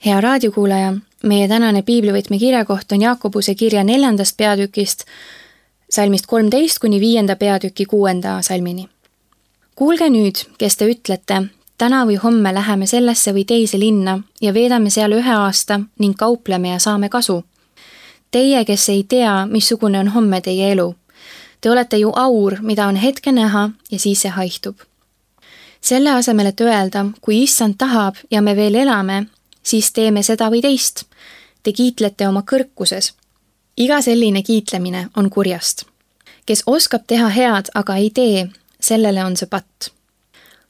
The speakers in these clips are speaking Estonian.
Hea raadiokuulaja, meie tänane piiblivõtme kirjakoht on Jaakobuse kirja 4. peatükist, salmist 13 kuni 5. peatüki 6. salmini. Kuulge nüüd, kes te ütlete, täna või homme läheme sellesse või teise linna ja veedame seal 1 aasta ning kaupleme ja saame kasu. Teie, kes ei tea, missugune on homme teie elu. Te olete ju aur, mida on hetke näha ja siis see haihtub. Selle asemel, et öelda, kui issand tahab ja me veel elame, siis teeme seda või teist. Te kiitlete oma kõrkuses. Iga selline kiitlemine on kurjast. Kes oskab teha head, aga ei tee, sellele on see patt.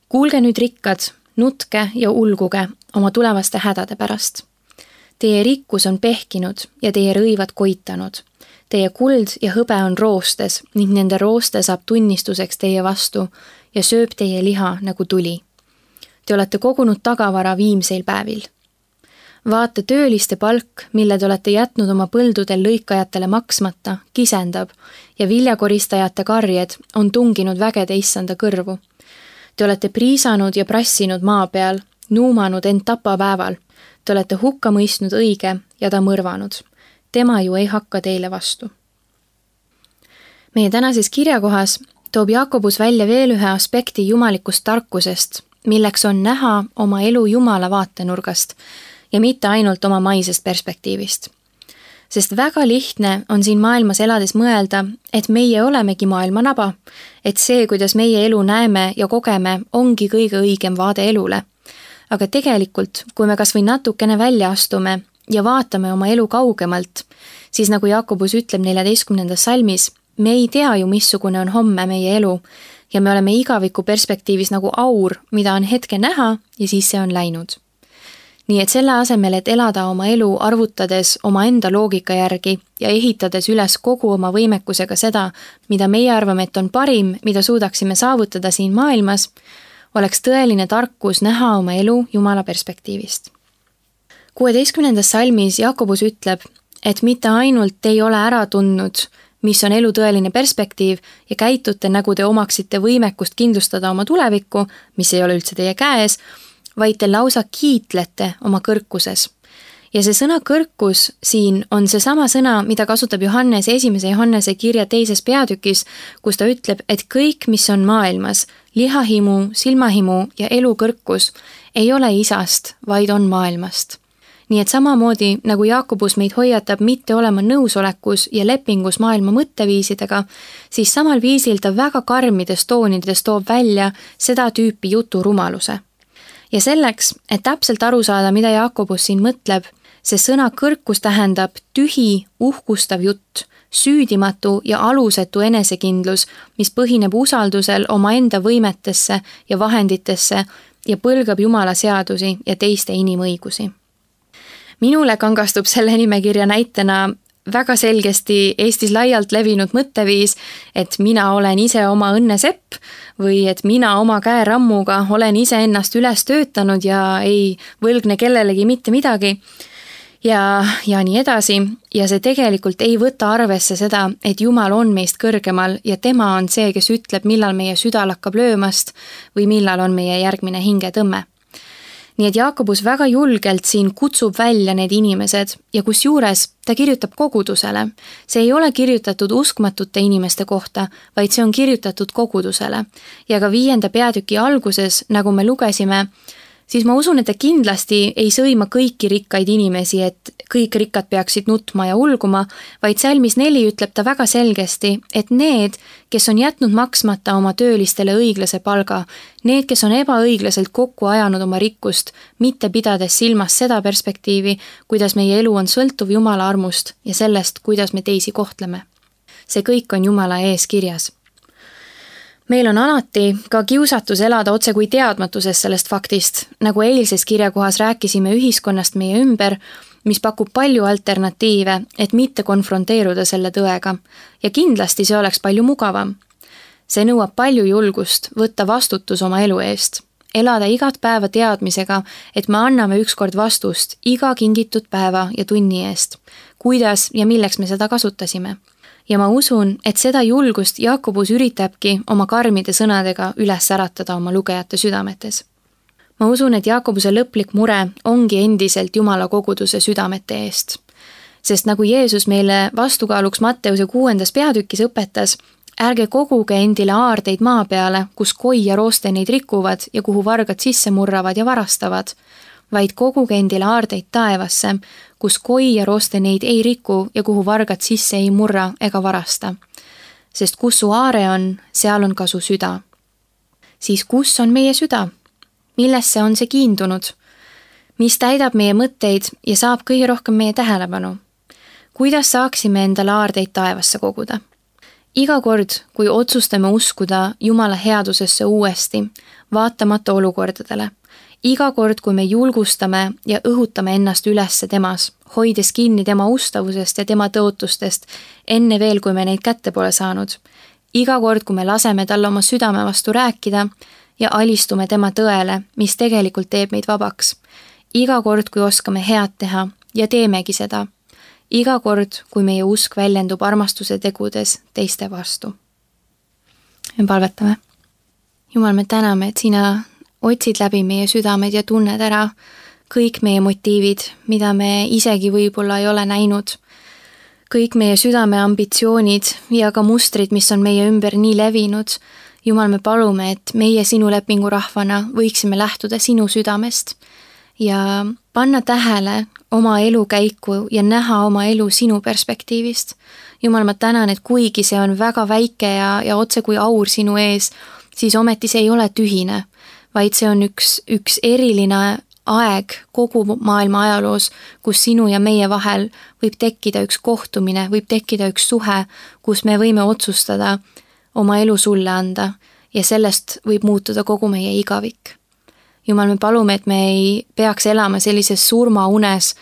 Kuulge nüüd rikkad, nutke ja ulguge oma tulevaste hädade pärast. Teie rikkus on pehkinud ja teie rõivad koitanud. Teie kuld ja hõbe on roostes ning nende rooste saab tunnistuseks teie vastu ja sööb teie liha nagu tuli. Te olete kogunud tagavara viimseil päevil. Vaata tööliste palk, mille te olete jätnud oma põldudel lõikajatele maksmata, kisendab ja viljakoristajate karjed on tunginud vägede issanda kõrvu. Te olete priisanud ja prassinud maa peal, nuumanud end tapapäeval. Te olete hukka mõistnud õige ja ta mõrvanud. Tema ju ei hakka teile vastu. Meie tänases kirjakohas toob Jaakobus välja veel ühe aspekti jumalikust tarkusest, milleks on näha oma elu Jumala vaatenurgast ja mitte ainult oma maisest perspektiivist. Sest väga lihtne on siin maailmas elades mõelda, et meie olemegi maailma naba, et see, kuidas meie elu näeme ja kogeme, ongi kõige õigem vaade elule. Aga tegelikult, kui me kas või natukene välja astume ja vaatame oma elu kaugemalt, siis nagu Jaakobus ütleb 14. salmis, me ei tea ju, missugune on homme meie elu ja me oleme igaviku perspektiivis nagu aur, mida on hetke näha ja siis see on läinud. Nii et selle asemel, et elada oma elu arvutades oma enda loogika järgi ja ehitades üles kogu oma võimekusega seda, mida meie arvame, et on parim, mida suudaksime saavutada siin maailmas, oleks tõeline tarkus näha oma elu Jumala perspektiivist. 16. salmis Jaakobus ütleb, et mitte ainult ei ole ära tundnud, mis on elu tõeline perspektiiv ja käitute, nagu te omaksite võimekust kindlustada oma tulevikku, mis ei ole üldse teie käes, vaid te lausa kiitlete oma kõrkuses. Ja see sõna kõrkus siin on see sama sõna, mida kasutab Johannes 1. Johannese kirja 2. peatükis, kus ta ütleb, et kõik, mis on maailmas, lihahimu, silmahimu ja elukõrkus, ei ole isast, vaid on maailmast. Nii et samamoodi, nagu Jaakobus meid hoiatab mitte olema nõusolekus ja lepingus maailma mõtteviisidega, siis samal viisil ta väga karmides toonides toob välja seda tüüpi jutu rumaluse. Ja selleks, et täpselt aru saada, mida Jaakobus siin mõtleb, see sõna kõrkus tähendab tühi, uhkustav jutt, süüdimatu ja alusetu enesekindlus, mis põhineb usaldusel oma enda võimetesse ja vahenditesse ja põlgab Jumala seadusi ja teiste inimõigusi. Minule kangastub selle nimekirja näitena väga selgesti Eestis laialt levinud mõtteviis, et mina olen ise oma õnnesepp või et mina oma käerammuga olen ise ennast üles töötanud ja ei võlgne kellelegi mitte midagi ja nii edasi. Ja see tegelikult ei võta arvesse seda, et Jumal on meist kõrgemal ja tema on see, kes ütleb, millal meie süda lakkab löömast või millal on meie järgmine hingetõmme. Nii et Jaakobus väga julgelt siin kutsub välja need inimesed ja kusjuures ta kirjutab kogudusele. See ei ole kirjutatud uskmatute inimeste kohta, vaid see on kirjutatud kogudusele. Ja ka 5. peatüki alguses, nagu me lugesime, siis ma usun, et ta kindlasti ei sõima kõiki rikkaid inimesi, et kõik rikkad peaksid nutma ja ulguma, vaid salmis 4 ütleb ta väga selgesti, et need, kes on jätnud maksmata oma töölistele õiglase palga, need, kes on ebaõiglaselt kokku ajanud oma rikkust, mitte pidades silmas seda perspektiivi, kuidas meie elu on sõltuv Jumala armust ja sellest, kuidas me teisi kohtleme. See kõik on Jumala ees kirjas. Meil on alati ka kiusatus elada otse kui teadmatuses sellest faktist, nagu eilses kirjakohas rääkisime ühiskonnast meie ümber, mis pakub palju alternatiive, et mitte konfronteeruda selle tõega. Ja kindlasti see oleks palju mugavam. See nõuab palju julgust võtta vastutus oma elu eest. Elada igat päeva teadmisega, et me anname ükskord vastust iga kingitud päeva ja tunni eest. Kuidas ja milleks me seda kasutasime. Ja ma usun, et seda julgust Jaakobus üritabki oma karmide sõnadega üles äratada oma lugejate südametes. Ma usun, et Jaakobuse lõplik mure ongi endiselt Jumala koguduse südamete eest. Sest nagu Jeesus meile vastukaaluks Matteuse 6. peatükis õpetas, ärge koguge endile aardeid maa peale, kus koi ja rooste neid rikuvad ja kuhu vargad sisse murravad ja varastavad, vaid koguge endile aardeid taevasse, kus koi ja rooste neid ei riku ja kuhu vargad sisse ei murra ega varasta. Sest kus su aare on, seal on ka su süda. Siis kus on meie süda? Millesse on see kiindunud? Mis täidab meie mõtteid ja saab kõige rohkem meie tähelepanu? Kuidas saaksime endale aardeid taevasse koguda? Iga kord, kui otsustame uskuda Jumala headusesse uuesti, vaatamata olukordadele, iga kord, kui me julgustame ja õhutame ennast ülesse temas, hoides kinni tema ustavusest ja tema tõotustest enne veel, kui me neid kätte pole saanud, iga kord, kui me laseme talle oma südame vastu rääkida ja alistume tema tõele, mis tegelikult teeb meid vabaks, iga kord, kui oskame head teha ja teemegi seda, iga kord, kui meie usk väljendub armastuse tegudes teiste vastu. Me palvetame. Jumal, me täname, et sina otsid läbi meie südamed ja tunned ära kõik meie motiivid, mida me isegi võib-olla ei ole näinud. Kõik meie südame ambitsioonid ja ka mustrid, mis on meie ümber nii levinud. Jumal, me palume, et meie sinu lepingu rahvana võiksime lähtuda sinu südamest ja panna tähele oma elu käiku ja näha oma elu sinu perspektiivist. Jumal, ma tänan, et kuigi see on väga väike ja otse kui aur sinu ees, siis ometi see ei ole tühine, vaid see on üks eriline aeg kogu maailma ajaloos, kus sinu ja meie vahel võib tekkida üks kohtumine, võib tekkida üks suhe, kus me võime otsustada oma elu sulle anda ja sellest võib muutuda kogu meie igavik. Jumal, me palume, et me ei peaks elama sellises surmaunes,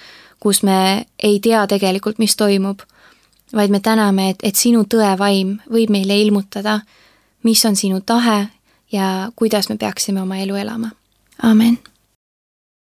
kus me ei tea tegelikult, mis toimub, vaid me täname, et sinu tõevaim võib meile ilmutada, mis on sinu tahe ja kuidas me peaksime oma elu elama. Amen.